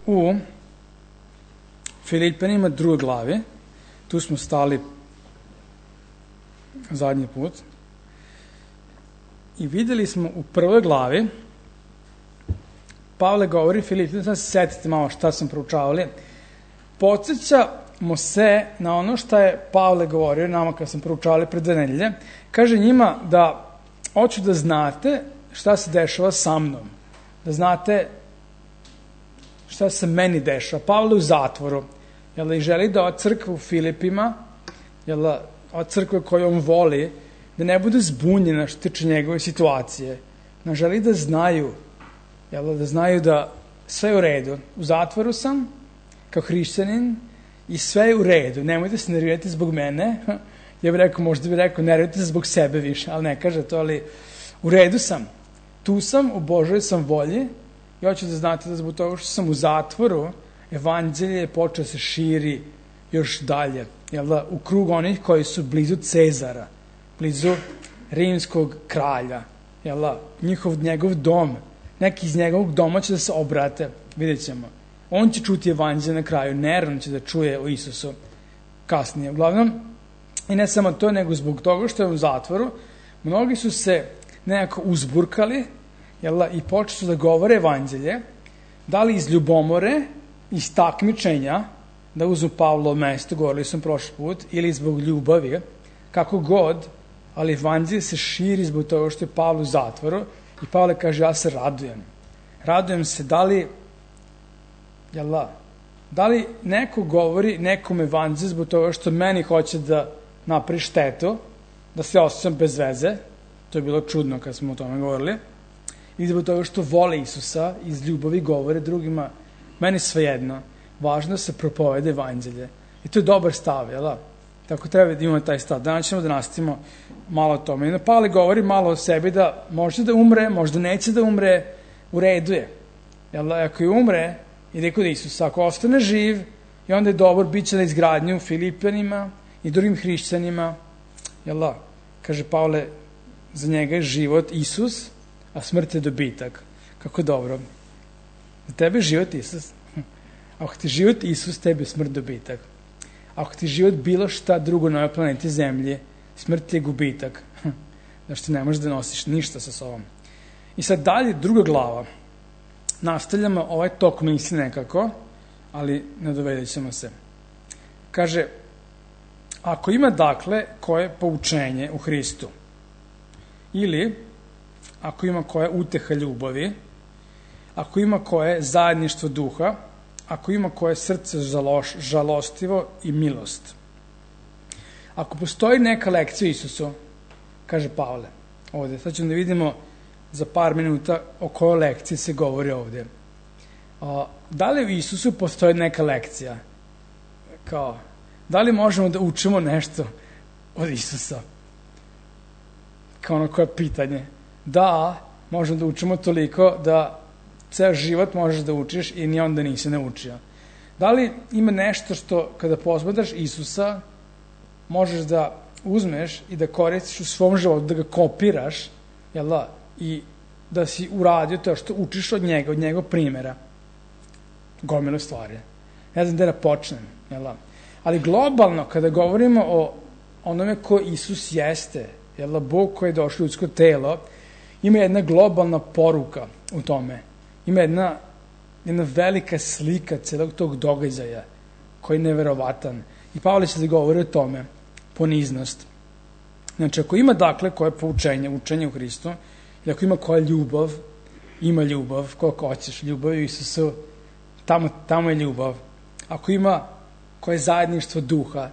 u Filipanima 2. glavi. Tu smo stali zadnji put. I videli smo u 1. glavi, Pavle govori Filipanima, sad se setite malo šta sam proučavali, podsjećamo se na ono šta je Pavle govorio nama kad sam proučavali pred 2 nedelje. Kaže njima da hoću da znate šta se dešava sa mnom, da znate šta se meni dešava. Pavle u zatvoru, i želi da od crkve u Filipima, od crkve koju on voli, da ne bude zbunjena što tiče njegove situacije. Ne želi da znaju, da znaju da sve je u redu. U zatvoru sam, kao hrišćanin, i sve je u redu. Nemojte se nervirati zbog mene. Ja bih rekao, možda bih rekao, nervirati se zbog sebe više, ali ne kaže to, ali u redu sam. Tu sam, u Božoj sam volji, i hoću da znate da zbog toga što sam u zatvoru, evanđelje je počeo da se širi još dalje, u krug onih koji su blizu Cezara, blizu rimskog kralja, njegov dom, neki iz njegovog doma će da se obrate, vidjet ćemo. On će čuti evanđelje na kraju, Neron će da čuje o Isusu kasnije. Uglavnom, i ne samo to, nego zbog toga što je u zatvoru, mnogi su se nekako uzburkali, i počeli su da govore evanđelje, da li iz ljubomore, iz takmičenja, da uzmu Pavlovo mesto, govorili sam prošli put, ili zbog ljubavi, kako god, ali evanđelje se širi zbog toga što je Pavlo u zatvoru, i Pavle kaže, ja se radujem. Radujem se, da li neko govori nekom evanđelju zbog toga što meni hoće da napravi štetu, da se osjećam bez veze, to je bilo čudno kad smo o tome govorili, i zbog toga što vole Isusa, iz ljubavi govore drugima, meni svejedno, važno da se propovede evanđelje. I to je dobar stav, Tako treba da imamo taj stav. Danas ćemo da nastavimo malo o tome. I Pavle govori malo o sebi da može da umre, možda neće da umre, u redu je. Ako je umre, ide kod Isusa. Ako ostane živ, i onda je dobar, bit će na izgradnju Filipanima i drugim hrišćanima. Kaže Pavle, za njega je život Isus, a smrt je dobitak. Kako dobro. Za tebe je život Isus. Ako ti život Isus, tebi je smrt dobitak. Ako ti život bilo šta drugo na ovoj planeti Zemlji, smrt je gubitak. Znači ne možeš da nosiš ništa sa sobom. I sad dalje, 2. glava. Nastavljamo ovaj tok misli nekako, ali nadovedit ćemo se. Kaže, ako ima dakle koje poučenje u Hristu, ili ako ima koje uteha ljubavi, ako ima koje zajedništvo duha, ako ima koje srce žalostivo i milost. Ako postoji neka lekcija o Isusu, kaže Pavle ovde, sad ćemo da vidimo za par minuta o kojoj lekciji se govori ovde. Da li u Isusu postoji neka lekcija? Da li možemo da učimo nešto od Isusa? Kao ono koje pitanje. Da, možemo da učimo toliko da ceo život možeš da učiš i ni onda nisi naučio. Da li ima nešto što kada posmatraš Isusa možeš da uzmeš i da koristiš u svom životu, da ga kopiraš, i da si uradio to što učiš od njega primjera. Gomilu stvari. Ne znam da počnem. Ali globalno, kada govorimo o onome ko Isus jeste, Bog koji je došao u ljudsko telo, ima jedna globalna poruka u tome. Ima jedna velika slika celog tog događaja koji je neverovatan. I Pavle će da govori o tome, poniznost. Znači, ako ima dakle koje poučenje, učenje u Hristu, i ako ima koja ljubav, ima ljubav, koliko hoćeš, ljubav u Isusu, tamo je ljubav. Ako ima koje zajedništvo duha,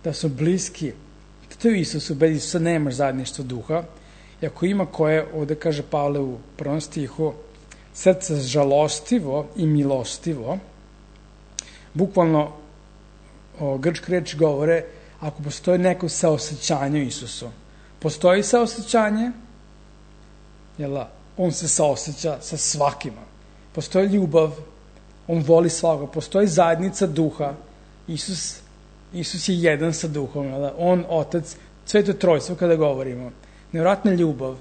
da su bliski, to je u Isusu, bez Isusa nemaš zajedništvo duha. I ako ima koje, ovde kaže Pavle u 1. stihu, srce žalostivo i milostivo, bukvalno grčke reči govore, ako postoji neko saosećanje u Isusu. Postoji saosećanje, on se saoseća sa svakima. Postoji ljubav, on voli svakoga. Postoji zajednica duha. Isus je jedan sa duhom. On, Otac, Sveto Trojstvo kada govorimo. Nevjerojatna ljubav.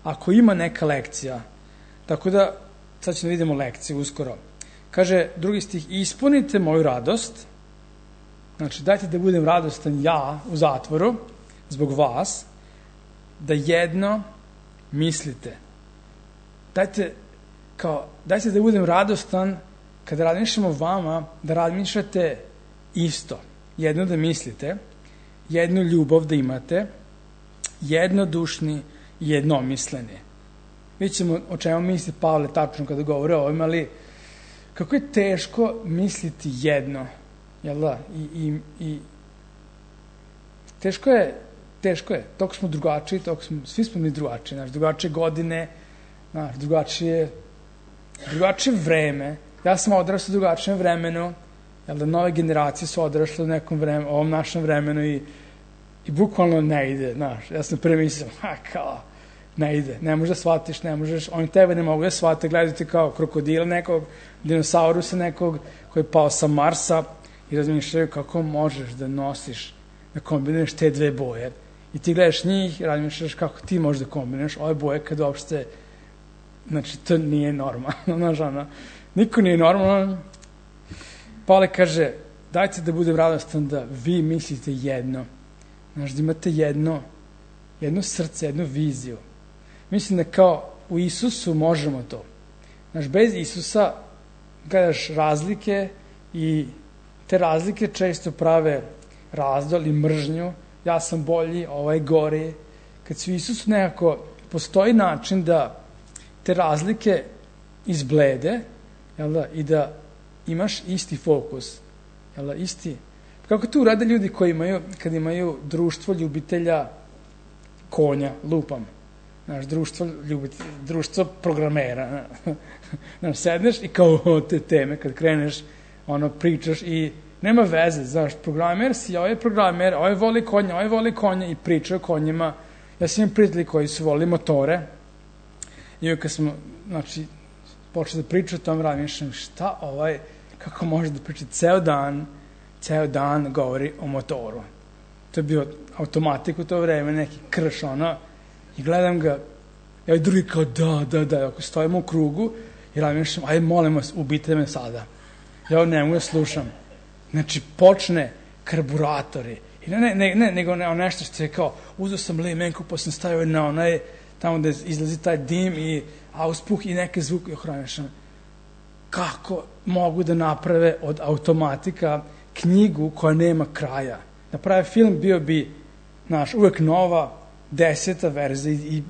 Ako ima neka lekcija, tako da, sad ćemo da vidimo lekciju uskoro. kaže drugi stih, ispunite moju radost, znači dajte da budem radostan ja u zatvoru zbog vas, da jedno mislite. Dajte da budem radostan kada razmišljam o vama, da razmišljate isto. Jedno da mislite, jednu ljubav da imate, jednodušni i jednomisleni. Vidjet ćemo o čemu misli Pavle tačno kada govore o ovim, ali kako je teško misliti jedno, jel da? I teško je, toko smo drugačiji, svi smo mi drugačiji, drugačije godine, drugačije vreme. Ja sam odrastao u drugačijem vremenu, jel da, nove generacije su odrasle u nekom vremenu, ovom našem vremenu i bukvalno ne ide, ja sam prvi mislio, ne ide, ne možeš da shvatiš, ne možeš, oni tebe ne mogu da shvate, gledaju ti kao krokodila nekog, dinosaurusa nekog koji je pao sa Marsa i razmišljaju kako možeš da nosiš, da kombinuješ te dve boje. I ti gledaš njih i razmišljaš kako ti možeš da kombinuješ ove boje kad uopšte, znači to nije normalno, niko nije normalno. Pavle kaže, dajte da budem radostan da vi mislite jedno, da imate jedno srce, jednu viziju. Mislim da kao u Isusu možemo to. Bez Isusa gledaš razlike i te razlike često prave razdor i mržnju. Ja sam bolji, ovaj gori. Kad si u Isusu nekako postoji način da te razlike izblede, jel da, i da imaš isti fokus. Jel da, isti. Kako to urade ljudi koji kad imaju društvo ljubitelja konja, lupam. Društvo programera. Sedneš i kao te teme, kad kreneš, pričaš i nema veze, programer si, ovaj programer, ovaj voli konja i priča o konjima. Ja sam imam prijatelji koji su volili motore i kad smo, počeli da priča o tom, razmišljam, šta kako može da priča ceo dan govori o motoru. To je bio automatik u to vreme, neki krš, i gledam ga, i drugi kao da, ako stojimo u krugu i razmišljam, ajde molim vas, ubite me sada. Ja ne mogu da slušam. Znači, počne karburatori. I nego nešto što je kao, uzeo sam limenku, pa sam stavio na onaj, tamo gde izlazi taj dim i auspuh i neke zvuke, i razmišljam, kako mogu da naprave od automatika knjigu koja nema kraja. Da prave film bio bi, uvek nova, 10. verzija i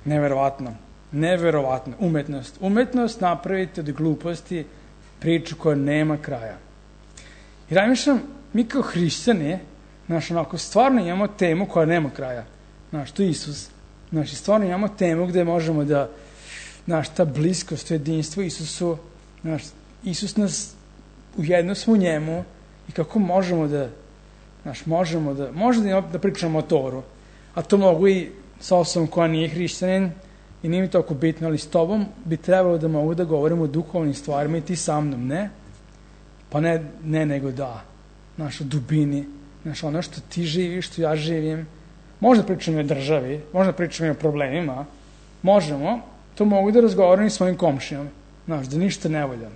neverovatno, umetnost napraviti od gluposti priču koja nema kraja. I razmišljam, mi kao hrišćani, stvarno imamo temu koja nema kraja, to je Isus, stvarno imamo temu gde možemo da, ta bliskost, to jedinstvo Isusu, Isus nas, ujedno smo u njemu i kako možemo da, možda da pričamo o motoru, a to mogu i sa osobom koja nije hrišćanin i nije mi toliko bitno, ali s tobom bi trebalo da mogu da govorimo o duhovnim stvarima i ti sa mnom, ne? Pa ne nego da, o dubini, ono što ti živiš, što ja živim, možda pričamo i o državi, možda pričamo i o problemima, možemo, to mogu da razgovaram i s mojim komšijom, da ništa ne volja.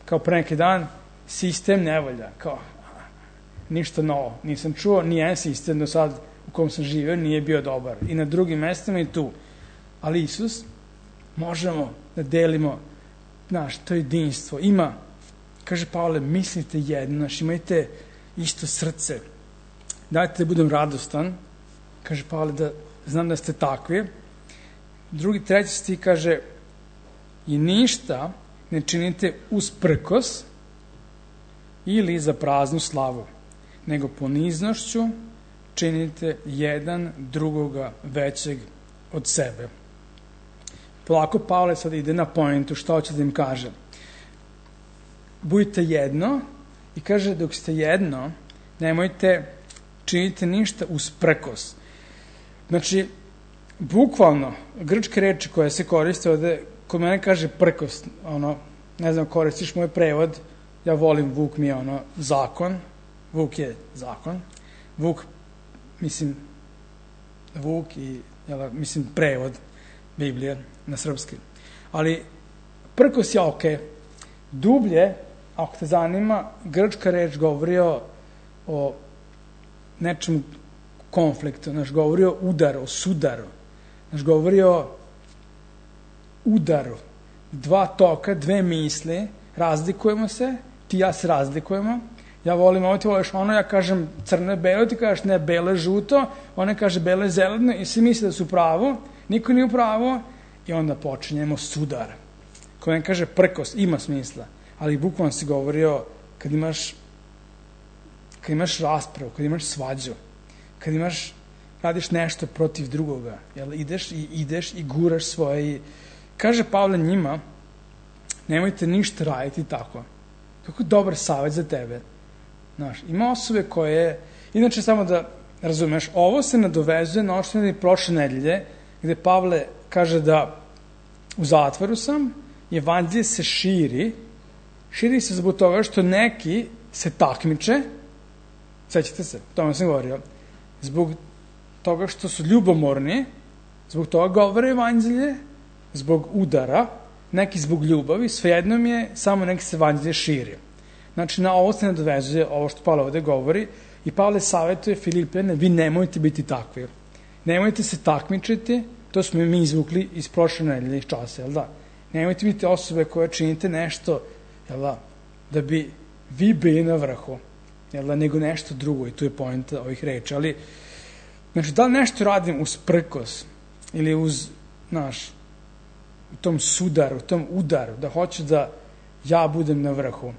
Kao pre neki dan, sistem ne volja, kao, ništa novo, nisam čuo, nijedan sistem do sad u kom sam živio nije bio dobar. I na drugim mestima i tu. Ali Isus, možemo da delimo, to jedinstvo. Ima, kaže Pavle, mislite jedno, imajte isto srce. Dajte da budem radostan, kaže Pavle, da znam da ste takvi. Treći stih kaže, i ništa ne činite usprkos ili za praznu slavu, nego poniznošću činite jedan drugoga većeg od sebe. Polako Pavle sad ide na pointu, šta hoće da im kaže. Budite jedno i kaže, dok ste jedno, nemojte činiti ništa usprkos. Znači, bukvalno, grčke reči koje se koriste ovde, kod mene kaže prkos, ne znam, koristiš moj prevod, ja volim, Vuk mi je zakon, Vuk je zakon, Vuk i, prevod Biblije na srpski. Ali prkos je okej. dublje, ako te zanima, grčka reč govori o nečem konfliktu, govori o udaru, o sudaru, govori o udaru, dva toka, dve misli, razlikujemo se, ti i ja se razlikujemo, ja volim ovo, ti voliš ono, ja kažem crno je belo, ti kažeš ne, belo je žuto, ona kaže belo je zeleno i svi misle da su u pravu, niko nije u pravu i onda počinjemo sudar. Ko ne kaže prkos, ima smisla, ali bukvalno si govorio kad imaš raspravu, kad imaš svađu, kad radiš nešto protiv drugoga, jel, ideš i guraš svoje. Kaže Pavle njima, nemojte ništa raditi tako. Kako dobar savjet za tebe. Znaš, ima osobe koje, inače samo da razumeš, ovo se nadovezuje na ošteni prošle nedelje, gde Pavle kaže da u zatvoru sam, evanđelje se širi se zbog toga što neki se takmiče, sećate se, o tome sam govorio, zbog toga što su ljubomorni, zbog toga govore evanđelje, zbog udara, neki zbog ljubavi, svejedno mi je, samo neki se evanđelje širi. Znači, na ovo se nadovezuje ovo što Pavle ovde govori i Pavle savjetuje Filipljane, vi nemojte biti takvi. Nemojte se takmičiti, to smo mi izvukli iz prošle nedelje iz časa, jel da? Nemojte biti osobe koje činite nešto, jel da bi vi bili na vrhu, jel da, nego nešto drugo i tu je poenta ovih reči, ali znači, da li nešto radim uz prkos ili uz, u tom sudaru, u tom udaru, da hoću da ja budem na vrhu,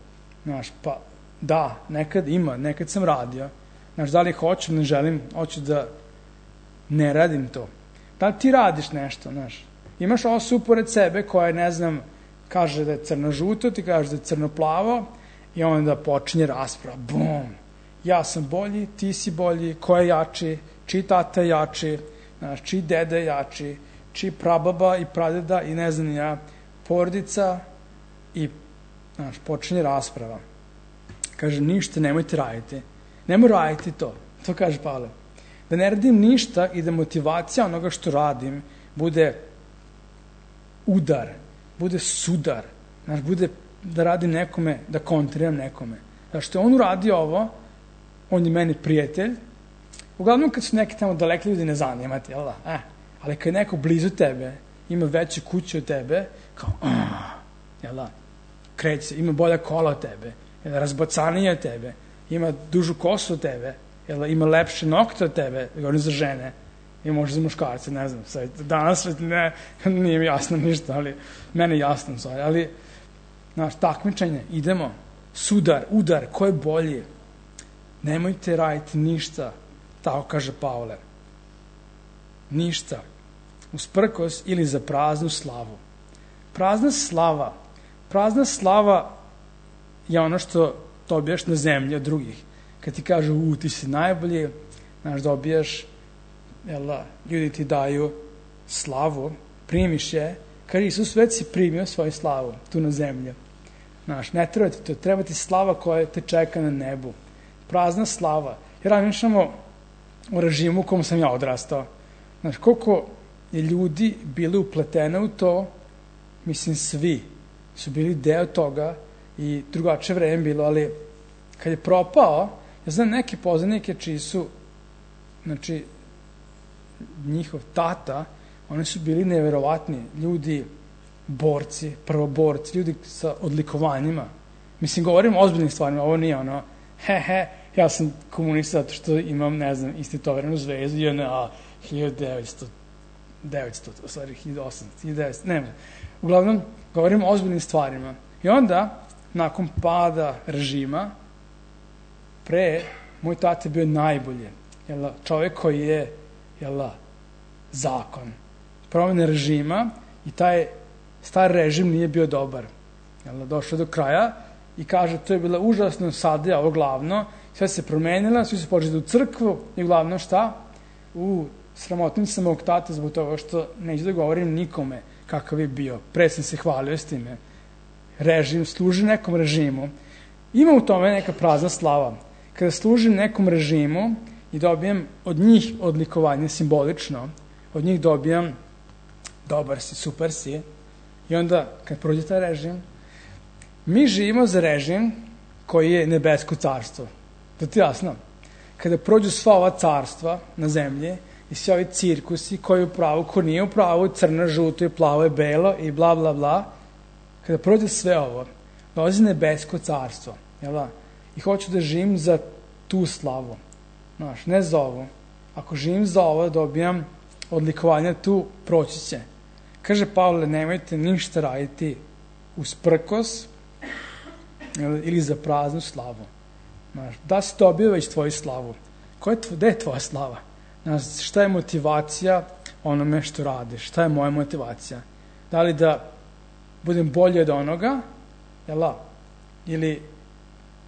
pa da, nekad sam radio, da li hoću, ne želim, hoću da ne radim to. Da li ti radiš nešto, imaš osobu pored sebe koja je, ne znam, kaže da je crno-žuto, ti kaže da je crno-plavo i onda počinje rasprava, bum, ja sam bolji, ti si bolji, ko je jači, čiji tata je jači, čiji deda je jači, čiji prababa i pradeda i ne znam ja, porodica i počinje rasprava. Kaže, ništa nemojte raditi. Nemoj raditi to. To kaže Pavle. Da ne radim ništa i da motivacija onoga što radim bude udar, bude sudar, bude da radim nekome, da kontriram nekome. Što je on uradio ovo, on je meni prijatelj. Uglavnom kad su neki tamo daleki ljudi ne zanimati, jel da? Ali kad je neko blizu tebe, ima veću kuću od tebe, kao, jel da? Kreće, ima bolja kola od tebe, razbocanije od tebe, ima dužu kosu od tebe, ima lepše nokte od tebe, govorim za žene, i možda za muškarce, ne znam, danas nije mi jasno ništa, ali mene je jasno, ali takmičenje, idemo, sudar, udar, ko je bolji, nemojte raditi ništa, tako kaže Pavle, ništa, usprkos ili za praznu slavu. Prazna slava je ono što dobijaš na zemlji od drugih. Kad ti kažu, ti si najbolji, dobijaš, ljudi ti daju slavu, primiš je, kaže Isus već si primio svoju slavu tu na zemlji. Ne treba ti to, treba ti slava koja te čeka na nebu. Prazna slava. Jer razmišljamo o režimu u kom sam ja odrastao. Koliko je ljudi bili upletene u to, mislim svi su bili deo toga i drugačije vreme bilo, ali kad je propao, ja znam neke poznanike čiji su, njihov tata, oni su bili neverovatni ljudi, borci, prvoborci, ljudi sa odlikovanjima. Mislim, govorim o ozbiljnim stvarima, ovo nije ono, ja sam komunista zato što imam, ne znam, istetoviranu zvezdu, JNA, 1900, nema. Uglavnom, govorim o ozbiljnim stvarima. I onda, nakon pada režima, moj tata je bio najbolje. Čovjek koji je, zakon. Promene režima i taj stari režim nije bio dobar. Došao do kraja i kaže, to je bila užasno sadja, ovo glavno, sve se promenila, svi su počeli u crkvu i uglavnom šta? Sramotim sam mog tata zbog toga što neću da govorim nikome kakav je bio. Pre sam se hvalio s time. Režim, služi nekom režimu. Ima u tome neka prazna slava. Kada služim nekom režimu i dobijem od njih odlikovanje simbolično, od njih dobijam dobar si, super si, i onda kad prođe taj režim, Mi živimo za režim koji je nebesko carstvo. To ti jasno? Kada prođu sva ova carstva na zemlji i svi ovi cirkusi, ko je u pravu, ko nije u pravu, crno, žuto i plavo i belo i bla, bla, bla, kada prođe sve ovo, dolazi nebesko carstvo. Jel da? I hoću da živim za tu slavu. Znaš, ne za ovo. Ako živim za ovo, dobijam odlikovanja tu, proći će. Kaže Pavle, nemojte ništa raditi usprkos ili za praznu slavu. Znaš, da si dobio već tvoju slavu. Gde je tvoja slava? Znaš, šta je motivacija onome što radiš? Šta je moja motivacija? Da li da budem bolji od onoga, jel, ili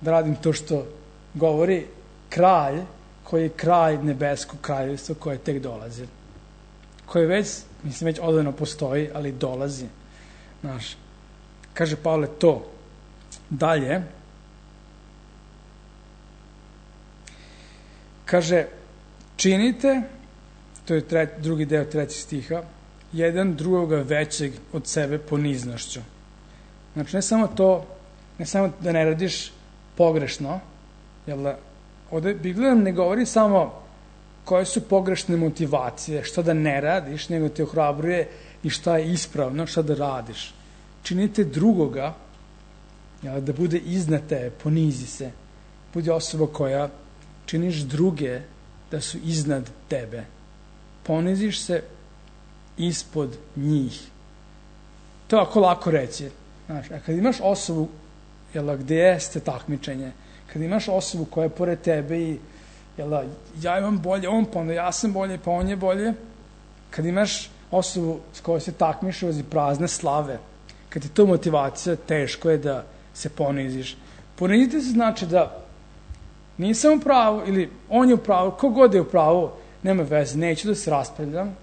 da radim to što govori kralj, koji je kralj nebeskog kraljevstva koje tek dolazi. Koje već, mislim, već odavno postoji, ali dolazi. Znaš, kaže Pavle to. Dalje, kaže, činite, to je drugi deo 3. stiha, jedan drugoga većeg od sebe poniznošću. Znači, ne samo da ne radiš pogrešno, jel, ovde Biblija nam ne govori samo koje su pogrešne motivacije, šta da ne radiš, nego te ohrabruje i šta je ispravno, šta da radiš. Činite drugoga, jel, da bude iznad tebe, ponizi se. Budi osoba koja činiš druge da su iznad tebe. Poniziš se ispod njih. To je ako lako reći. Znaš, a kad imaš osobu, jel, gde jeste takmičenje, kad imaš osobu koja je pored tebe i ja imam bolje, on pa onda ja sam bolje, pa on je bolje, kad imaš osobu s kojoj se takmiš uz prazne slave, kad je to motivacija, teško je da se poniziš. Poniziti se znači da nisam u pravu ili on je u pravu, kogod je u pravu, nema veze, neću da se raspravljam,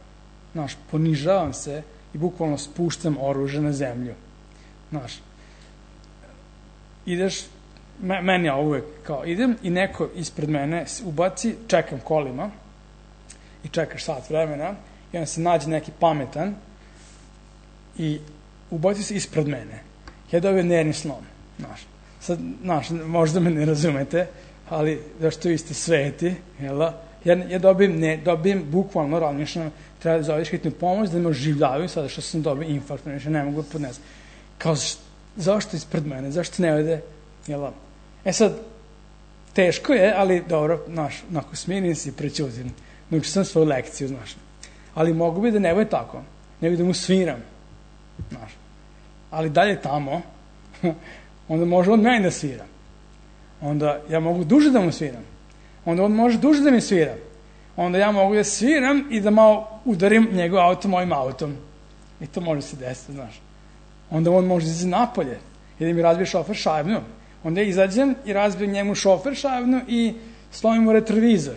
znaš, ponižavam se i bukvalno spuštam oružje na zemlju. Znaš, ideš, meni ja uvek kao idem i neko ispred mene ubaci, čekam kolima i čekaš sat vremena i onda se nađe neki pametan i ubaci se ispred mene. Ja dobijem nervni slom. Znaš, možda me ne razumete, ali zašto vi ste sveti, jel? Ja dobijem bukvalno razmišljam, treba da zoveš hitnu pomoć, da me oživljavaju sada što sam dobio infarkt, ne mogu podnesati. Kao, zašto ispred mene, zašto ne ode, jel? Sad, teško je, ali dobro, znaš, onako smirim se i prećutim. Naučio sam svoju lekciju, znaš. Ali mogu bi da ne bude tako, nego da mu sviram, znaš. Ali dalje tamo, onda može on meni da svira. Onda ja mogu duže da mu sviram. Onda on može duže da mi svira. Onda ja mogu da sviram i da malo udarim njegov auto mojim autom. I to može se desiti, znaš. Onda on može izaći napolje i da mi razbije šofer šajbnu. Onda ja izađem i razbijem njemu šofer šajbnu i slomim mu retrovizor.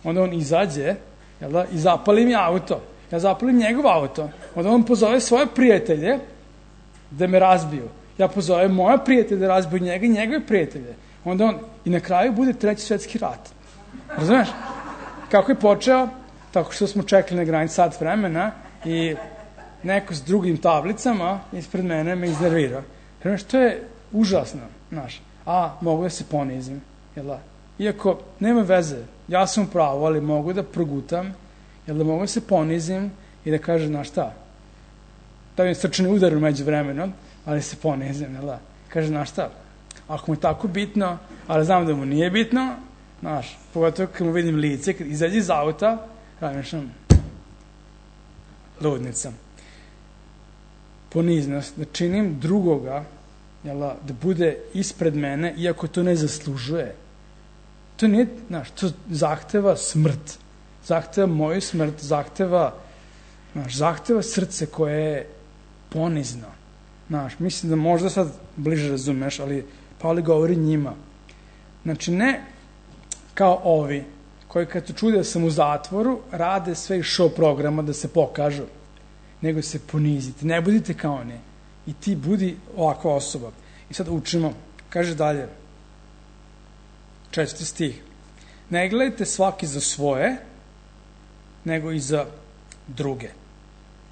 Onda on izađe, jel da, i zapali mi auto. Ja zapalim njegov auto. Onda on pozove svoje prijatelje da me razbiju. Ja pozovem moja prijatelja da razbiju njega i njegove prijatelje. Onda on, i na kraju bude 3. svetski rat. Razumeš? Kako je počeo? Tako što smo čekali na granici sat vremena i neko s drugim tablicama ispred mene me iznervirao. Razumeš, to je užasno, znaš. A, mogu da se ponizim, jel da? Iako, nema veze, ja sam u pravu, ali mogu da progutam, jel da mogu da se ponizim i da kažem, znaš šta, da mi srčani udar među vremenom, ali se ponizim, jel da? Kaže, znaš šta, ako mu je tako bitno, ali znam da mu nije bitno, znaš, pogotovo kad mu vidim lice, kad izađe iz auta, razmišljam, ludnica. Poniznost, da činim drugoga, jel da bude ispred mene, iako to ne zaslužuje. To nije, znaš, to zahteva smrt. Zahteva moju smrt, zahteva srce koje je ponizno. Znaš, mislim da možda sad bliže razumeš, ali Pavle govori njima. Znači, ne kao ovi, koji kad su čuli da sam u zatvoru, rade sve iz show programa da se pokažu, nego se ponizite. Ne budite kao oni. I ti budi ovakva osoba. I sad učimo. Kaže dalje. 4. stih. Ne gledajte svaki za svoje, nego i za druge.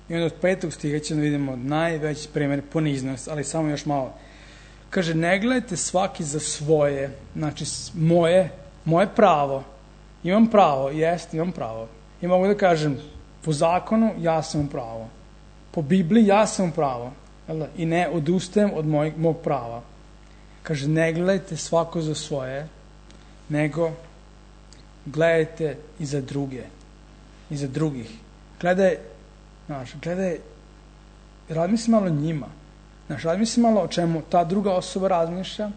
I onda od 5. stiha ćemo da vidimo najveći primjer poniznost, ali samo još malo. kaže, ne gledajte svaki za svoje, znači moje pravo. Imam pravo, imam pravo. I mogu da kažem, po zakonu ja sam u pravo. Po Bibliji ja sam u pravo. I ne odustajem od mog prava. Kaže, ne gledajte svako za svoje, nego gledajte i za druge. I za drugih. Gledaj, razmisli malo njima. Razmisli malo o čemu ta druga osoba razmišlja.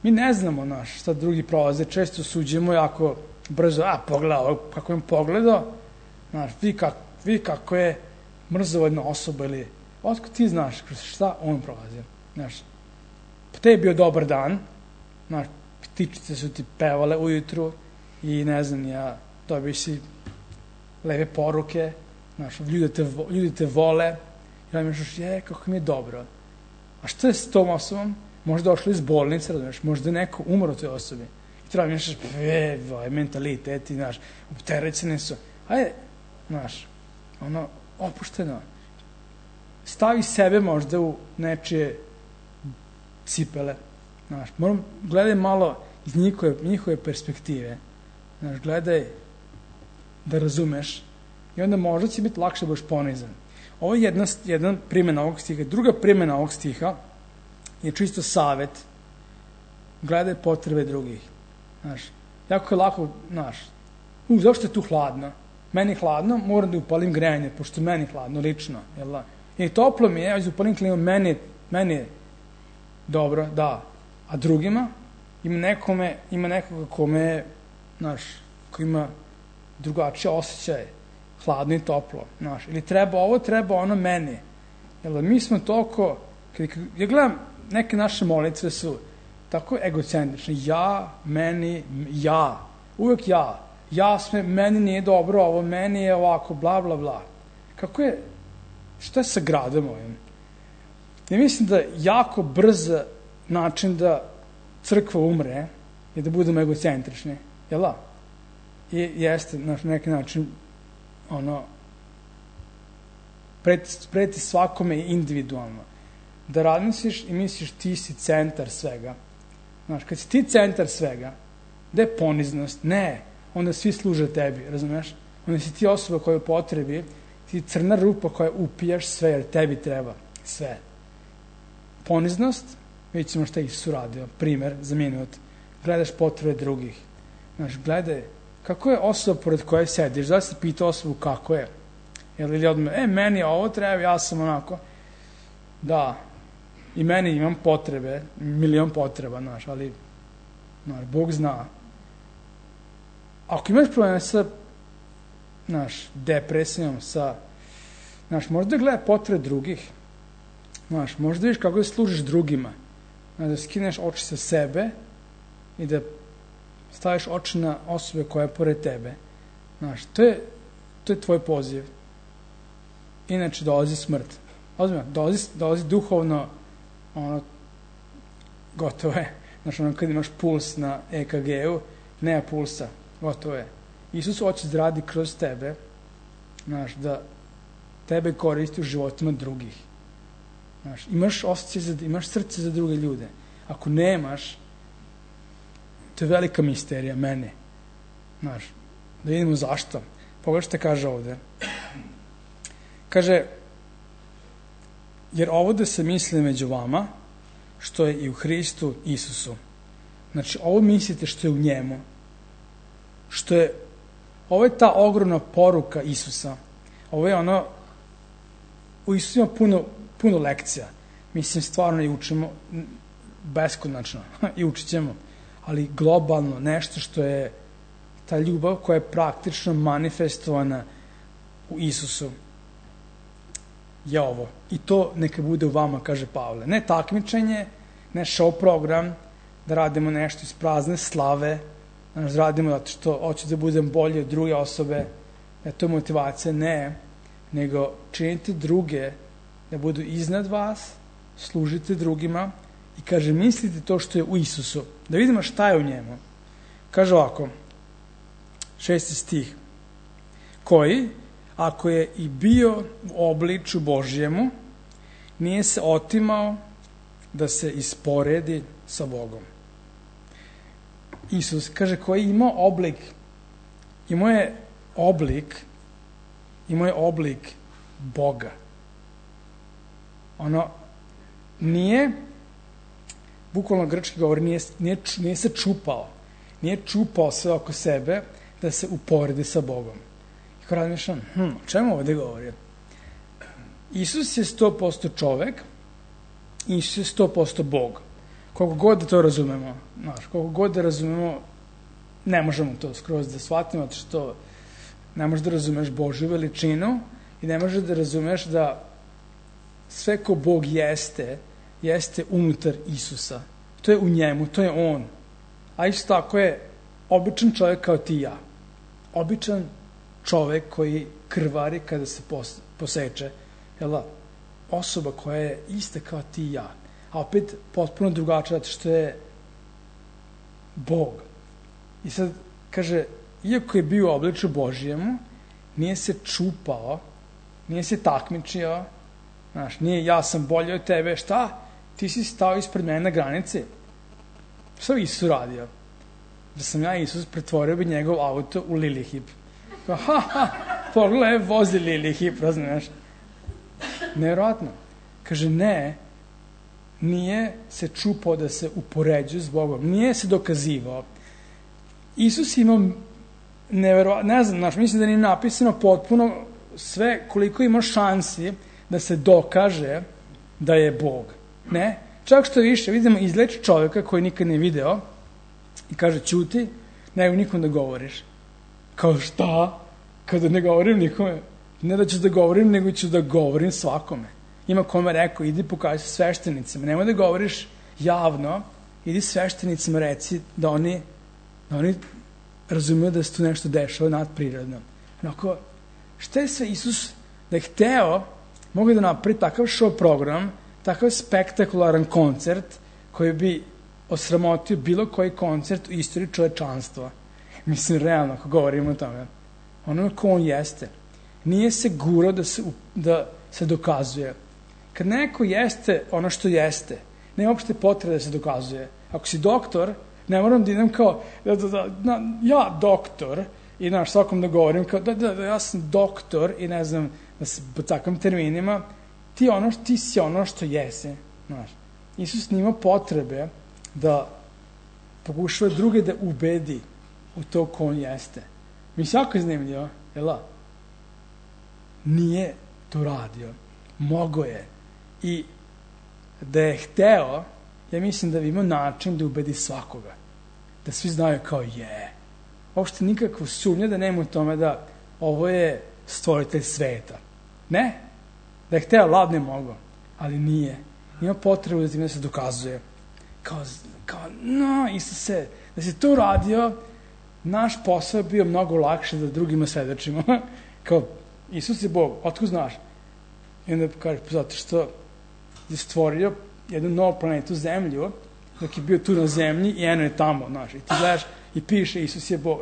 Mi ne znamo šta drugi prolaze. Često suđemo jako brzo. Pogledaj ovo, kako je pogledao. Vidi kako je mrzovodna osoba. Ili, otko ti znaš šta on prolazi. Te je bio dobar dan. Ptičice su ti pevale ujutru. I ne znam, dobiš si lepe poruke. Ljudi te vole. I onda misliš, kako mi je dobro. A što je s tom osobom? Možda došli iz bolnice, razumiješ, možda je neko umro toj osobi. I treba misliš, mentaliteti, opterećeni su. Ajde, opušteno. Stavi sebe možda u nečije cipele. Gledaj malo iz njihove perspektive. Gledaj da razumeš. I onda možda će biti lakše da budeš ponizan. Ovo je jedna primjena ovog stiha. Druga primjena ovog stiha je čisto savet. Gledaj potrebe drugih. Jako je lako, zašto je tu hladno? Meni je hladno, moram da upalim grejanje, pošto meni je hladno, lično. I toplo mi je, ja upalim klimu, meni je dobro, da. A drugima, ima nekoga kome, ko ima drugačije osjećaje. Hladno i toplo, ili treba ovo, treba ono meni. Mi smo toliko, ja gledam, neke naše molitve su tako egocentrične. Ja, meni, ja. Uvijek ja. Meni nije dobro ovo, meni je ovako, bla, bla, bla. Kako je, šta je sa gradom ovim? Ja mislim da jako brz način da crkva umre je da budemo egocentrični. Jel da? I jeste, na neki način, preti svakome individualno. Da razmisliš i misliš ti si centar svega. Kad si ti centar svega, gde je poniznost? Ne, onda svi služe tebi, razumeš? Onda si ti osoba koja je u potrebi, ti crna rupa koja upijaš sve, jer tebi treba sve. Poniznost, vidjet ćemo šta Isus uradio, primer za minut, gledaš potrebe drugih. Gledaj, kako je osoba pored koje sediš? Da si pitao osobu kako je? Ili odmah, meni ovo treba, ja sam onako. Da, i meni imam potrebe, milion potreba, ali Bog zna. Ako imaš probleme sa depresijom, možda gledaj potrebe drugih. Možda vidiš kako da služiš drugima. Da skineš oči sa sebe i da staviš oči na osobe koja je pored tebe. To je tvoj poziv. Inače dolazi smrt. Ozbiljno, dolazi duhovno, gotovo je. Kad imaš puls na EKG-u, nema pulsa, gotovo je. Isus hoće da radi kroz tebe, da tebe koristi u životima drugih. Imaš osjećaj, imaš srce za druge ljude. Ako nemaš, to je velika misterija mene. Da vidimo zašto. Pogledaj što kaže ovde. Kaže, jer ovo da se misli među vama, što je i u Hristu Isusu. Ovo mislite što je u njemu. Ovo je ta ogromna poruka Isusa. Ovo je u Isusu ima puno lekcija. Mislim, stvarno i učimo beskonačno. I učit ćemo. Ali globalno, nešto što je ta ljubav koja je praktično manifestovana u Isusu je ovo. I to neka bude u vama, kaže Pavle. Ne takmičenje, ne show program, da radimo nešto iz prazne slave, da radimo zato što hoću da budem bolji od druge osobe, da to je motivacija, ne, nego činite druge da budu iznad vas, služite drugima i kaže, mislite to što je u Isusu, da vidimo šta je u njemu. Kaže ovako, 6. stih, koji, ako je i bio u obliču Božjemu, nije se otimao da se isporedi sa Bogom. Isus, kaže, koji ima imao je oblik Boga. Nije, bukvalno grčki govor, nije se čupao. Nije čupao sve oko sebe da se uporedi sa Bogom. I ko razmišljam, o čemu ovde govori? Isus je 100% čovek, Isus je 100% Bog. Koliko god da to razumemo, koliko god da razumemo, ne možemo to skroz da shvatimo, zato što ne možeš da razumeš Božju veličinu i ne možeš da razumeš da sve ko Bog jeste unutar Isusa. To je u njemu, to je on. A isto tako je običan čovjek kao ti i ja. Običan čovjek koji krvari kada se poseče. Osoba koja je ista kao ti i ja. A opet potpuno drugačija, zato što je Bog. I sad kaže, iako je bio u obličju Božijemu, nije se čupao, nije se takmičio, nije ja sam bolji od tebe, šta? Ti si stao ispred mene na granici. Šta bi Isus radio? Da sam ja Isus, pretvorio bi njegov auto u Lilihip. Pogledaj, vozi Lilihip, razumiješ? Nevjerojatno. Kaže, nije se čupao da se upoređuje s Bogom, nije se dokazivao. Isus ima nevjerojatno, ne znam, mislim da nije napisano potpuno sve koliko ima šansi da se dokaže da je Bog. Ne? Čak što više, vidimo izleč čovjeka koji nikad ne video i kaže, ćuti, nego nikom da govoriš. Kao šta? Kada ne govorim nikome, ne da ću da govorim, nego ću da govorim svakome. Ima kome rekao, idi pokaži se sveštenicima, nemoj da govoriš javno, idi sveštenicima reci da oni razumiju da se tu nešto dešava nadprirodno. Onako, šta je sve Isus da je hteo, mogu da napravi takav show program, takav spektakularan koncert koji bi osramotio bilo koji koncert u istoriji čovečanstva. Mislim, realno, ako govorimo o tome. Ono ko on jeste. Nije se gurao da se dokazuje. Kad neko jeste ono što jeste, nema uopšte potrebe da se dokazuje. Ako si doktor, ne moram da idem kao, ja doktor, i svakom da govorim kao, ja sam doktor, i ne znam, da se po takvim terminima, ti si ono što jesi. Isus nima potrebe da pokušava druge da ubedi u to ko on jeste. Mi se jako zanimljivo, nije to radio. Mogo je. I da je hteo, ja mislim da bi imao način da ubedi svakoga. Da svi znaju kao uopšte nikakvo sumnje da nema u tome da ovo je stvoritelj sveta. Ne. Da je hteo, ladno je mogo. Ali nije. Nima potrebu da time se dokazuje. Kao, Isuse, da si to uradio, naš posao je bio mnogo lakše da drugima svedočimo. Kao, Isus je Bog, otkud znaš? I onda kaže, zato što je stvorio jednu novu planetu Zemlju, dok je bio tu na zemlji i eno je tamo, i ti gledaš i piše Isus je Bog.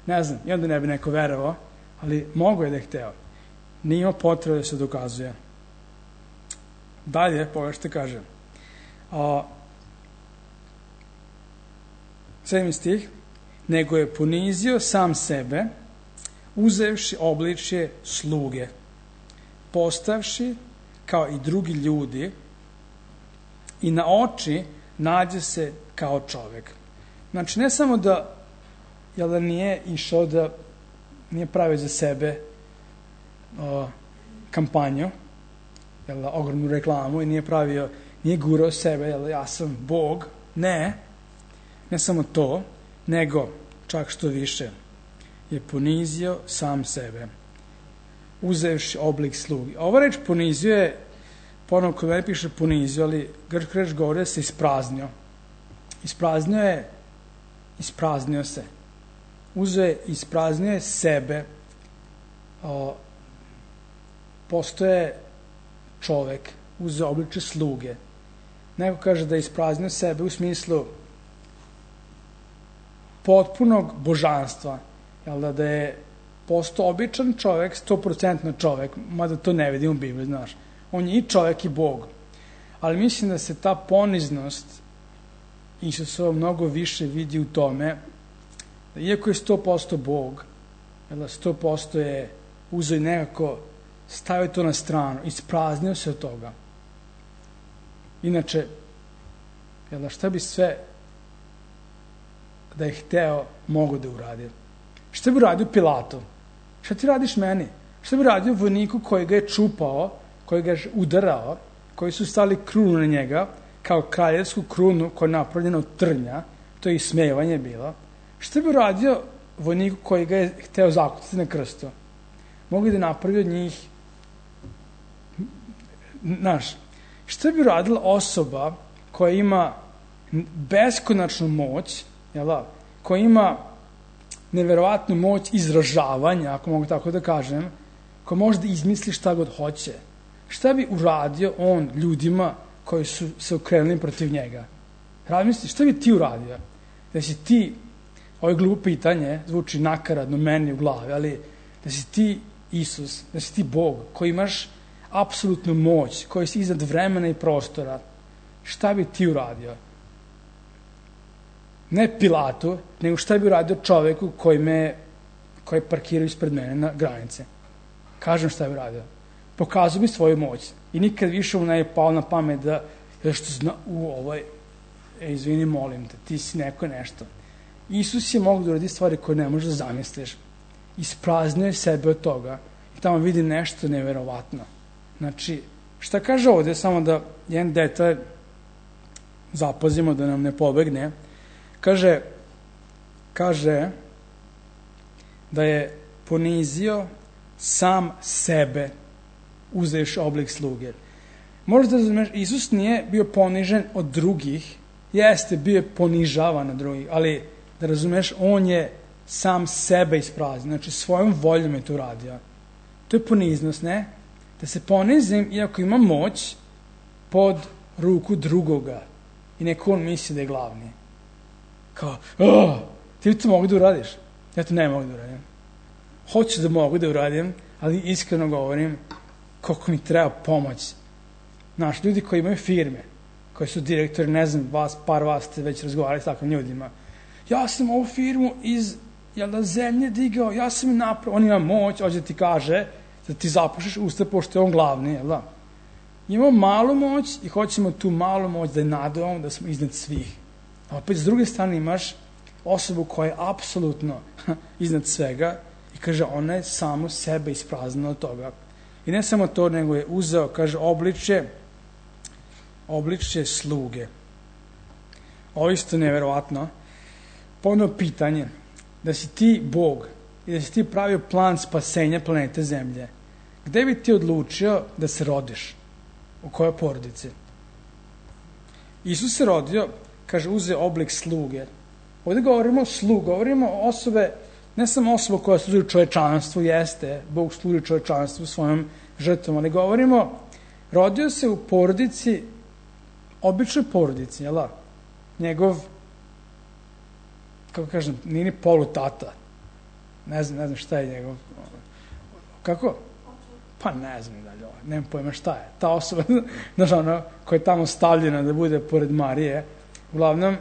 Ne znam, i onda ne bi neko verovao, ali mogo je da je hteo. Nije imao potrebe da se dokazuje. Dalje, pogledaj što kaže. 7. stih. Nego je ponizio sam sebe, uzevši obličje sluge, postavši kao i drugi ljudi i na oči nađe se kao čovek. Znači, ne samo da nije išao da nije pravio za sebe kampanju, ogromnu reklamu i nije gurao sebe, ja sam Bog, ne samo to, nego, čak što više, je ponizio sam sebe, uzevši oblik slugi. Ova reč ponizio je, ponovno kod mene piše ponizio, ali grčka reč govori da se ispraznio. Ispraznio se. Ispraznio je sebe. Postoje čovek, uzeo obliče sluge. Neko kaže da je ispraznio sebe u smislu potpunog božanstva, da je postao običan čovek, 100% čovek, mada to ne vidimo u Bibliji, On je i čovek i Bog. ali mislim da se ta poniznost Isusova mnogo više vidi u tome da iako je 100% Bog, 100% je uzeo i nekako stavio to na stranu, ispraznio se od toga. Inače, šta bi sve da je hteo mogo da uradi? Šta bi uradio Pilatu? Šta ti radiš meni? Šta bi radio vojniku koji ga je čupao, koji ga je udarao, koji su stali krunu na njega, kao kraljevsku krunu koja je napravljena od trnja, to je ismevanje bilo. Šta bi uradio vojniku koji ga je hteo zakucati na krstu? Mogu da napravi od njih, šta bi uradila osoba koja ima beskonačnu moć, koja ima neverovatnu moć izražavanja, ako mogu tako da kažem, koja može da izmisli šta god hoće? Šta bi uradio on ljudima koji su se okrenuli protiv njega? Razmisli, šta bi ti uradio? Da si ti, ovo je glupo pitanje, zvuči nakaradno meni u glavi, ali da si ti Isus, da si ti Bog, koji imaš apsolutnu moć, koji si iznad vremena i prostora, šta bi ti uradio? Ne Pilatu, nego šta bi uradio čoveku koji parkirao ispred mene na granice? Kažem šta bi uradio. Pokazao bi svoju moć. I nikad više mu ne je pao na pamet da što zna, izvini, molim te, ti si neko nešto. Isus je mogu da uradi stvari koje ne možeš da zamisliš. Ispraznio je sebe od toga i tamo vidi nešto neverovatno. Znači, šta kaže ovde, samo da jedan detalj zapazimo da nam ne pobegne, kaže da je ponizio sam sebe uzevši oblik sluge. Možda da razumeš, Isus nije bio ponižen od drugih, jeste bio ponižavan od drugih, ali da razumeš, on je sam sebe ispraznio, znači svojom voljom je to uradio. To je poniznost, ne? Da se ponizim, iako ima moć, pod ruku drugoga i neko on misli da je glavni. Kao, ti to mogu da uradiš? Ja to ne mogu da uradim. Hoću da mogu da uradim, ali iskreno govorim koliko mi treba pomoć. Znaš, ljudi koji imaju firme, koji su direktori, ne znam, par vas ste već razgovarali s takvim ljudima. Ja sam ovu firmu iz zemlje digao, ja sam je napravio, on ima moć, hoće da ti kaže da ti zapušiš usta pošto je on glavni, jel da? Imamo malu moć i hoćemo tu malu moć da je nadavamo, da smo iznad svih. A opet s druge strane imaš osobu koja je apsolutno iznad svega i kaže ona je samo sebe ispraznila od toga. I ne samo to, nego je uzeo, kaže, obličje sluge. Ovo isto neverovatno. Ponovno pitanje, da si ti Bog i da si ti pravio plan spasenja planete Zemlje, gde bi ti odlučio da se rodiš? U kojoj porodici? Isus se rodio, kaže, uzeo oblik sluge. Ovdje govorimo o slugu, govorimo o osobe, ne samo osoba koja služi čovečanstvu, jeste, Bog služi čovečanstvu svojom žrtvom, ali govorimo, rodio se u porodici, običnoj porodici, jel da? Njegov, kako kažem, nije ni polutata. Ne znam šta je njegov. Kako? Pa ne znam dalje, nemam pojma šta je. Ta osoba, znaš, ona, koja je tamo stavljena da bude pored Marije, uglavnom,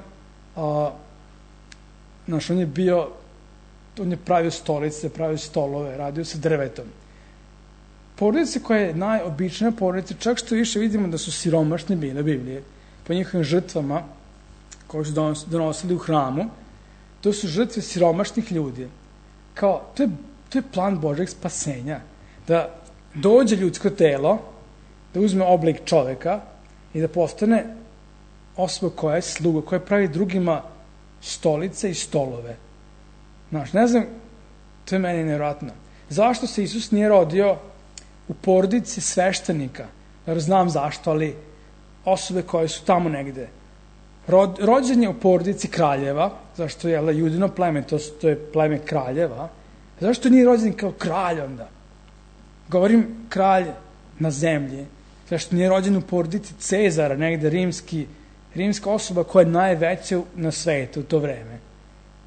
znaš, on je pravio stolice, pravio stolove, radio sa drvetom. Porodice koja je najobičnija porodica, čak što više vidimo da su siromašni bili u Bibliji, po njihovim žrtvama koje su donosili u hramu, to su žrtve siromašnih ljudi. Kao, to je plan Božeg spasenja. Da dođe ljudsko telo, da uzme oblik čoveka i da postane osoba koja je sluga, koja pravi drugima stolice i stolove. Znaš, ne znam, to je meni nevjerojatno. Zašto se Isus nije rodio u porodici sveštenika? Jer znam zašto, ali osobe koje su tamo negde. Rođen je u porodici kraljeva, zašto je judino pleme, to je pleme kraljeva. Zašto nije rođen kao kralj onda? Govorim kralj na zemlji. Zašto nije rođen u porodici Cezara, negde rimska osoba koja je najveća na svetu u to vreme.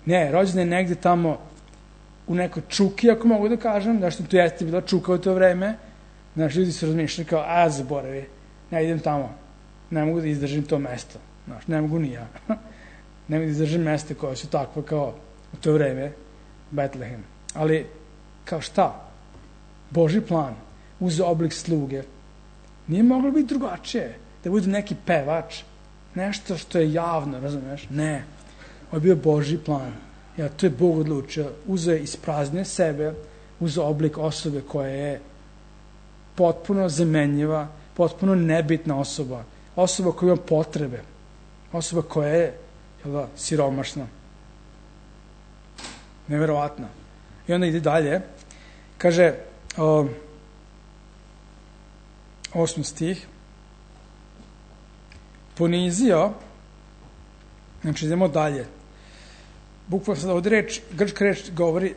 Ne, rođen je negde tamo u nekoj čuki, ako mogu da kažem, zašto tu jeste bila čuka u to vreme. Znaš, ljudi su razmišljali kao, zaboravi, ne idem tamo. ne mogu da izdržim to mesto. Znaš, ne mogu ni ja. Ne mogu da izdržim mesta koja su takva kao u to vreme Betlehem. Ali, kao šta? Božji plan uzeo oblik sluge. Nije moglo biti drugačije. Da bude neki pevač, nešto što je javno, razumiješ? Ne. Ovo je bio Božji plan. Ja, to je Bog odlučio. Uzeo je ispraznio sebe, uzeo oblik osobe koja je potpuno zamenjiva, potpuno nebitna osoba. Osoba koja ima potrebe. Osoba koja je siromašna. Neverovatno. I onda ide dalje. Kaže, 8. stih, ponizio, znači idemo dalje. Bukvalno sad ovdje reč, grčka reč govori,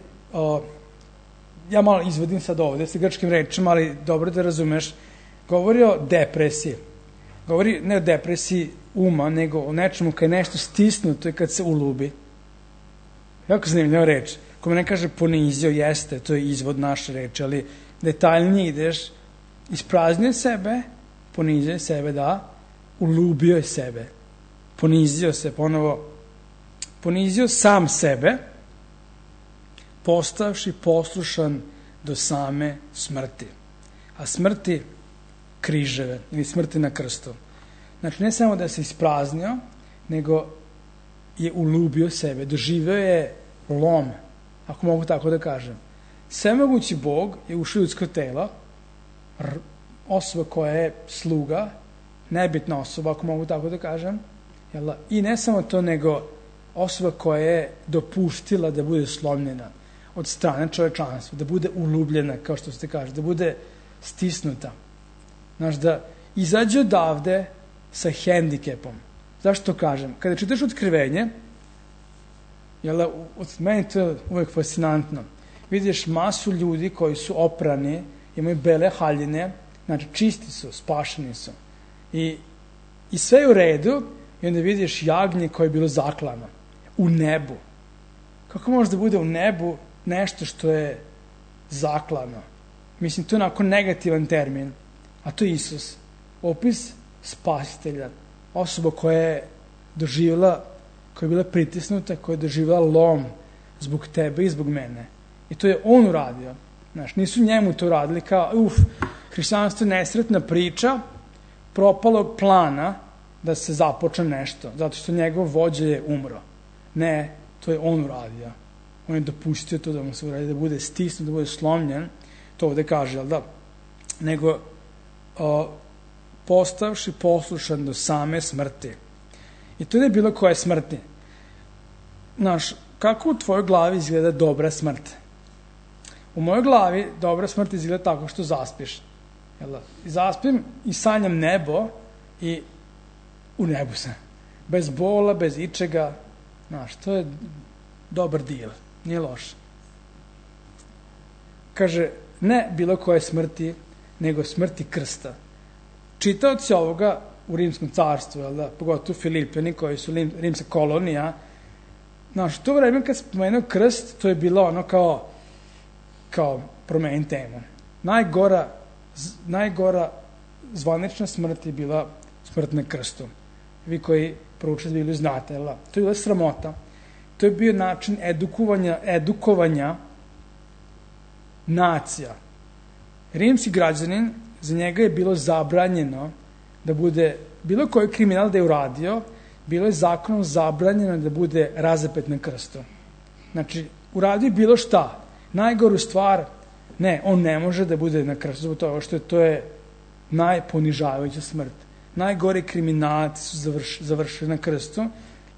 ja malo izvodim sad ovdje sa grčkim rečima, ali dobro da razumeš, govori o depresiji. Govori ne o depresiji uma, nego o nečemu kad je nešto stisnuto i kad se ulubi. Jako zanimljiva reč. Ko me ne kaže ponizio, jeste, to je izvod naše reči, ali detaljnije ideš, ispraznio sebe, ponizio sebe, da, ulubio je sebe, ponizio se, ponovo, ponizio sam sebe, postavši poslušan do same smrti. A smrti križeve, ili smrti na krstu. Znači, ne samo da se ispraznio, nego je ulubio sebe, doživio je lom, ako mogu tako da kažem. Svemogući Bog je ušao u ljudsko telo, osoba koja je sluga, nebitna osoba, ako mogu tako da kažem, i ne samo to, nego osoba koja je dopustila da bude slomljena od strane čovečanstva, da bude ulubljena, kao što ste kaže, da bude stisnuta. Znaš, da izađe odavde sa hendikepom. Zašto to kažem? Kada čitaš Otkrivenje, od meni to je uvek fascinantno. Vidiš masu ljudi koji su oprani, imaju bele haljine, znači čisti su, spašeni su. I sve je u redu, i onda vidiš jagnje koje je bilo zaklano. U nebu. Kako može da bude u nebu nešto što je zaklano? Mislim, to je onako negativan termin, a to je Isus. Opis spasitelja. Osoba koja je doživjela, koja je bila pritisnuta, koja je doživjela lom zbog tebe i zbog mene. I to je on uradio. Znaš, nisu njemu to radili kao, hrišćanstvo je nesretna priča propalog plana da se započne nešto, zato što njegov vođa je umro. Ne, to je on uradio. On je dopustio to da mu se uradi, da bude stisnut, da bude slomljen, to ovde kaže, jel da? Nego, postavši poslušan do same smrti. I to ne je bilo koje smrti. Znaš, kako u tvojoj glavi izgleda dobra smrt? U mojoj glavi dobra smrt izgleda tako što zaspiš. I zaspim i sanjam nebo i u nebu sam. Bez bola, bez ičega. Znaš, to je dobar deal. Nije loš. Kaže, ne bilo koje smrti, nego smrti krsta. Čitaoci ovoga u Rimskom carstvu, pogotovo Filipljani koji su rimska kolonija, znaš, to vreme kad spomenuo krst, to je bilo ono kao promeni temu. Najgora zvanična smrt je bila smrt na krstu. Vi koji proučite Bibliju znate, to je bila sramota. To je bio način edukovanja nacija. Rimski građanin, za njega je bilo zabranjeno da bude, bilo koji kriminal da je uradio, bilo je zakonom zabranjeno da bude razapet na krstu. Znači, uradio bilo šta. Najgoru stvar, ne, on ne može da bude na krstu, zbog toga što to je najponižavajuća smrt. Najgori kriminalci su završili na krstu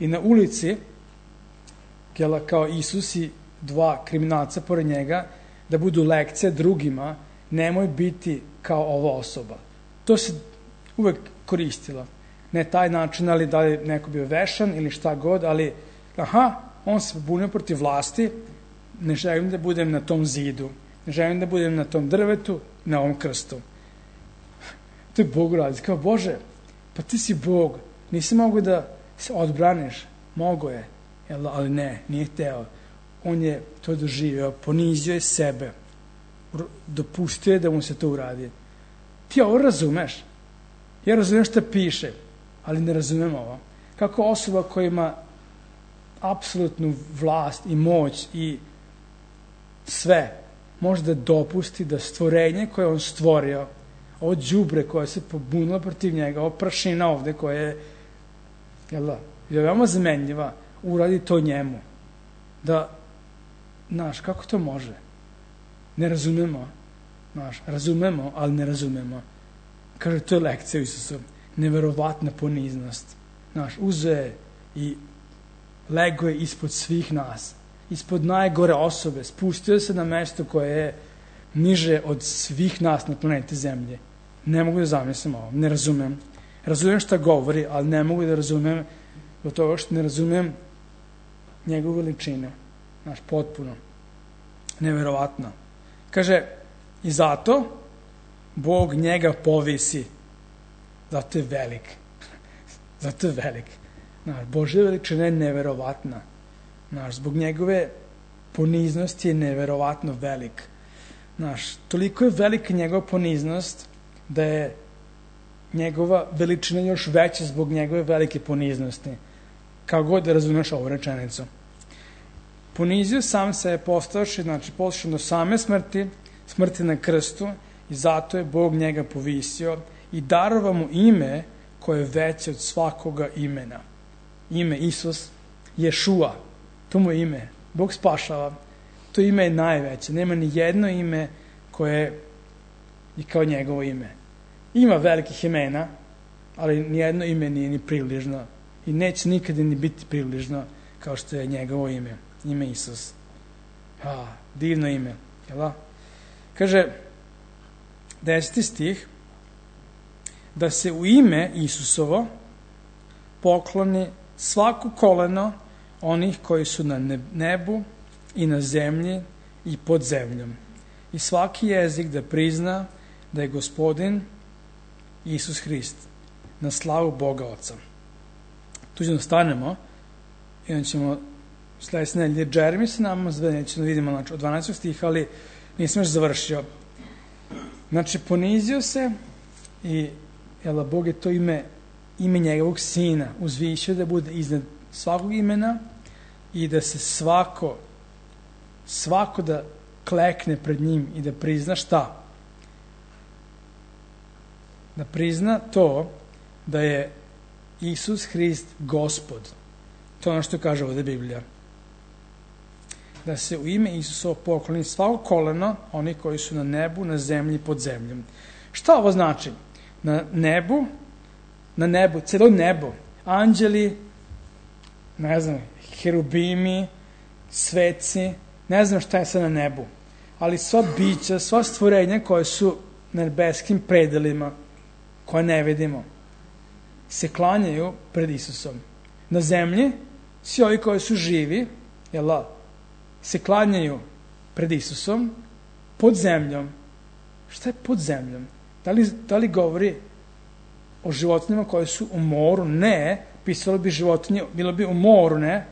i na ulici, kao Isus i dva kriminalca pored njega, da budu lekcije drugima, nemoj biti kao ova osoba. To se uvek koristilo. Ne taj način, ali da li neko bio vešan ili šta god, ali on se bunio protiv vlasti, ne želim da budem na tom zidu, ne želim da budem na tom drvetu, na ovom krstu. To je Bog radi. Kao, Bože, pa ti si Bog, nisi mogu da se odbraniš. Mogo je, ali ne, nije hteo. On je to doživio, ponizio je sebe, dopustio je da mu se to uradi. Ti ovo razumeš? Ja razumem šta piše. ali ne razumem ovo. Kako osoba koja ima apsolutnu vlast i moć i sve, može da dopusti da stvorenje koje on stvorio, ovo đubre koje se pobunilo protiv njega, ovo prašina ovde koja je, je veoma zamenljiva, uradi to njemu. Da, kako to može? Ne razumemo. Razumemo, ali ne razumemo. Kaže, to je lekcija u Isusu. Neverovatna poniznost. Uzeo je i lego je ispod svih nas. Ispod najgore osobe. Spustio se na mesto koje je niže od svih nas na planeti Zemlje. Ne mogu da zamislim ovo. Ne razumem. Razumem šta govori, ali ne mogu da razumem do toga što ne razumem njegovu veličinu. Potpuno. Neverovatno. Kaže, i zato Bog njega povisi. Zato je velik. Zato je velik. Božja veličina je neverovatna. Zbog njegove poniznosti je neverovatno velik. Toliko je velika njegova poniznost da je njegova veličina još veća zbog njegove velike poniznosti. Kako god da razumeš ovu rečenicu. Ponizio sam se postavši, poslušan do same smrti na krstu, i zato je Bog njega povisio i darova mu ime koje je veće od svakoga imena. Ime Isus, Ješua, to mu je ime. Bog spašava. To ime je najveće. Nema ni jedno ime koje je kao njegovo ime. Ima velikih imena, ali ni jedno ime nije ni približno i neće nikada ni biti približno kao što je njegovo ime. Ime Isus. Divno ime. Kaže, 10. stih, da se u ime Isusovo pokloni svako koleno onih koji su na nebu i na zemlji i pod zemljom. I svaki jezik da prizna da je Gospodin Isus Hrist, na slavu Boga Oca. Tu ćemo stanemo i onda ćemo sledeće nedelje Jeremy sa nama, nećemo da vidimo od 12. stiha, ali nisam još završio. Ponizio se i Bog je to ime njegovog sina uzvišio da bude iznad svakog imena i da se svako da klekne pred njim i da prizna šta? Da prizna to da je Isus Hrist Gospod. To je ono što kaže ovde Biblija. Da se u ime Isusovo pokloni svako koleno, oni koji su na nebu, na zemlji i pod zemljom. Šta ovo znači? Na nebu, celo nebo, anđeli, ne znam, herubimi, sveci, ne znam šta je sad na nebu, ali sva bića, sva stvorenja koje su na nebeskim predelima, koje ne vidimo, se klanjaju pred Isusom. Na zemlji, svi ovi koji su živi, se klanjaju pred Isusom, pod zemljom. Šta je pod zemljom? Da li govori o životinjama koje su u moru? Ne. Pisalo bi životinje, bilo bi u moru, ne.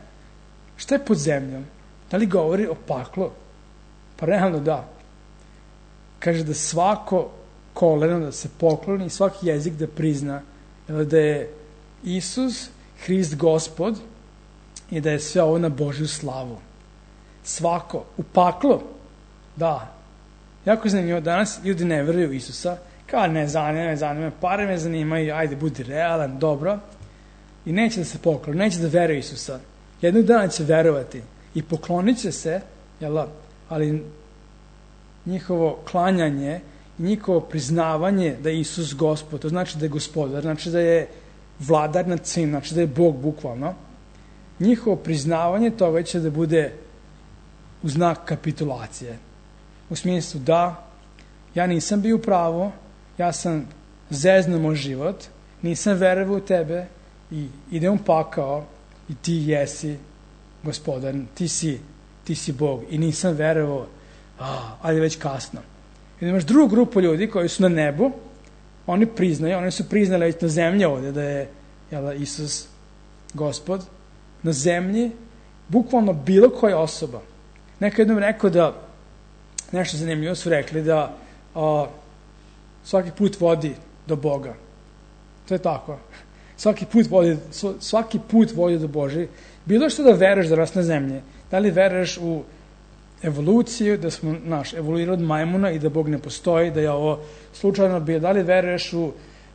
Šta je pod zemljom? Da li govori o paklu? Pa realno da. Kaže da svako koleno da se pokloni i svaki jezik da prizna da je Isus Hrist Gospod i da je sve ovo na Božju slavu. Svako. U paklu? Da. Jako zanimljivo. Danas ljudi ne veruju u Isusa. Kao ne zanima, pare me zanimaju, ajde, budi realan, dobro. I neće da se pokloni, neće da veruje Isusa. Jednog dana će verovati i poklonit će se, ali njihovo klanjanje i njihovo priznavanje da je Isus Gospod, to znači da je gospodar, znači da je vladar nad svim, znači da je Bog bukvalno. Njihovo priznavanje toga će da bude u znak kapitulacije. U smislu da, ja nisam bio u pravu, ja sam zeznuo moj život, nisam verovao u tebe i idem u pakao i ti jesi gospodar, ti si Bog i nisam verovao, ali je već kasno. I imaš drugu grupu ljudi koji su na nebu, oni su priznali već na zemlji ovde da je Isus Gospod, na zemlji, bukvalno bilo koja osoba. Neko jednom rekao da, nešto zanimljivo su rekli, da svaki put vodi do Boga. To je tako. svaki put vodi do Božje. Bilo što da veruješ danas na zemlji, da li veruješ u evoluciju, da smo evoluirali od majmuna i da Bog ne postoji, da je ovo slučajno bio, da li veruješ u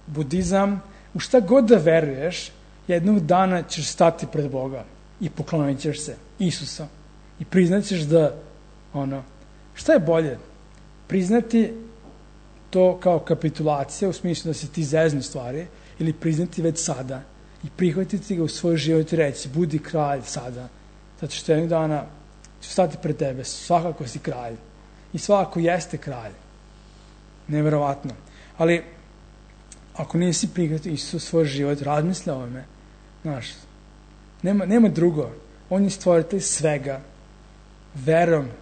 budizam, u šta god da veruješ, jednog dana ćeš stati pred Boga i poklonit ćeš se Isusa i priznat ćeš da šta je bolje? Priznati to kao kapitulacija u smislu da se ti zeznu stvari ili priznati već sada i prihvatiti ga u svoj život i reći budi kralj sada, zato što jednog dana ću stati pred tebe, svakako si kralj i svakako jeste kralj. Neverovatno. Ali ako nisi prihvatio Isusa u svoj život, razmisli o ovome. Nema drugo. On je stvoritelj svega.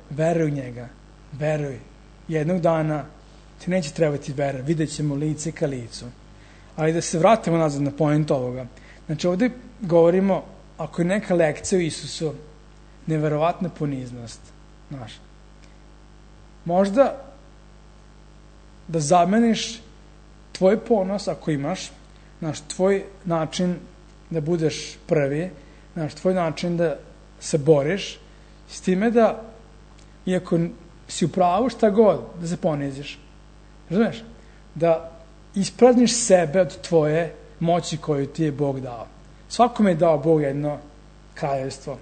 Veruj u njega. Veruj. Jednog dana ti neće trebati vera. Vidjet ćemo lice ka licu. Ali da se vratimo nazad na point ovoga. Znači ovdje govorimo, ako je neka lekcija o Isusu, neverovatna poniznost. Možda da zameniš tvoj ponos, ako imaš, tvoj način da budeš prvi, tvoj način da se boriš, s time da, iako si u pravu šta god, da se poniziš. Razumeš? Da isprazniš sebe od tvoje moći koju ti je Bog dao. Svakome je dao Bog jedno kraljevstvo.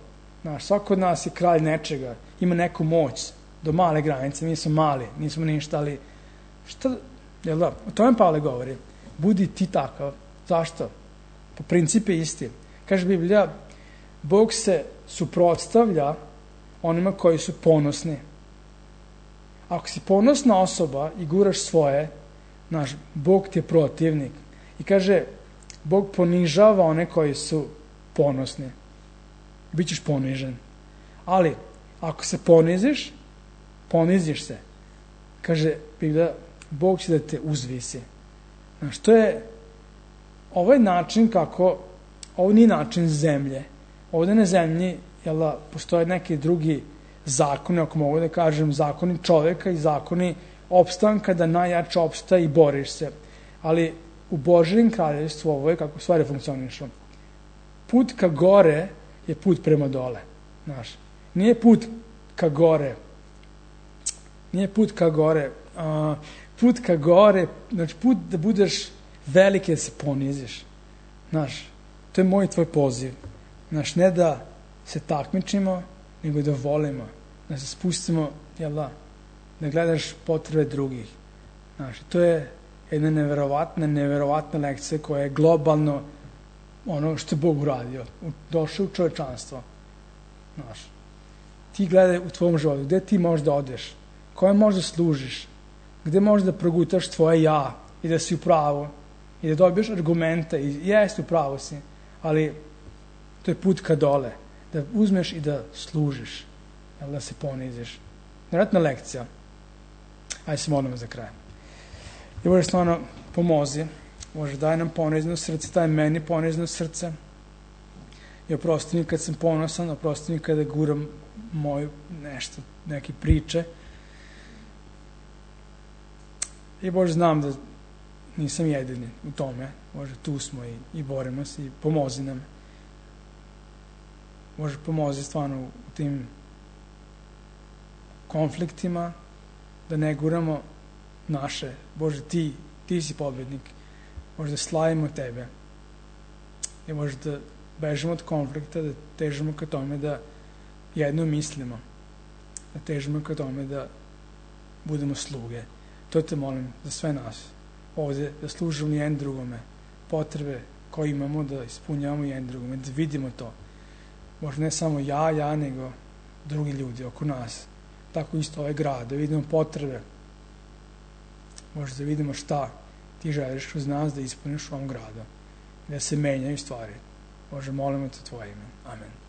Svako od nas je kralj nečega, ima neku moć do male granice, mi smo mali, nismo ništa, ali jel da? O tome Pavle govori. Budi ti takav. Zašto? Po principu je isti. Kaže Biblija, Bog se suprotstavlja onima koji su ponosni. Ako si ponosna osoba i guraš svoje, Bog ti je protivnik. I kaže, Bog ponižava one koji su ponosni. Bićeš ponižen. Ali, ako se poniziš se. Kaže Biblija, Bog će da te uzvisi. To je ovaj način kako, ovo nije način zemlje. Ovdje na zemlji postoje neki drugi zakoni, ako mogu da kažem, zakoni čoveka i zakoni opstanka, da najjače opstaje i boriš se. Ali u Božjem kraljevstvu ovo je kako stvari funkcionišu. Put ka gore je put prema dole. Nije put ka gore. Put ka gore, znači put da budeš veliki, da se poniziš. To je moj i tvoj poziv. Ne da se takmičimo, nego da volimo, da se spustimo, da gledaš potrebe drugih. To je jedna neverovatna lekcija koja je globalno ono što je Bog uradio. Došao u čovečanstvo. Ti gledaj u tvom životu, gde ti možeš da odeš, koje možeš da služiš, gde možeš da progutaš tvoje ja i da si u pravu i da dobiješ argumente i jeste u pravu si, ali to je put ka dole, da uzmeš i da služiš, da se poniziš. Nevjerojatna lekcija. Ajde se molimo za kraj. I Bože, stvarno pomozi. Bože, daj nam ponizno srce, daj meni ponizno srce. I oprosti mi kad sam ponosan, oprosti mi kada guram moju neke priče. I Bože, znam da nisam jedini u tome. Bože, tu smo i borimo se i pomozi nam. Bože, pomozi stvarno u tim konfliktima, da ne guramo naše. Bože, ti si pobednik. Bože, da slavimo tebe. I Bože, da bežimo od konflikta, da težimo ka tome da jedno mislimo. Da težimo ka tome da budemo sluge. To te molim za sve nas. Ovdje da služimo jedan drugome. Potrebe koje imamo da ispunjavamo jedan drugome. Da vidimo to. Bože, ne samo ja, nego drugi ljudi oko nas. Tako isto ovaj grad. Da vidimo potrebe. Bože, da vidimo šta ti želiš kroz nas da ispuniš u ovom gradu. Da se menjaju stvari. Bože, molimo te tvoje ime. Amen.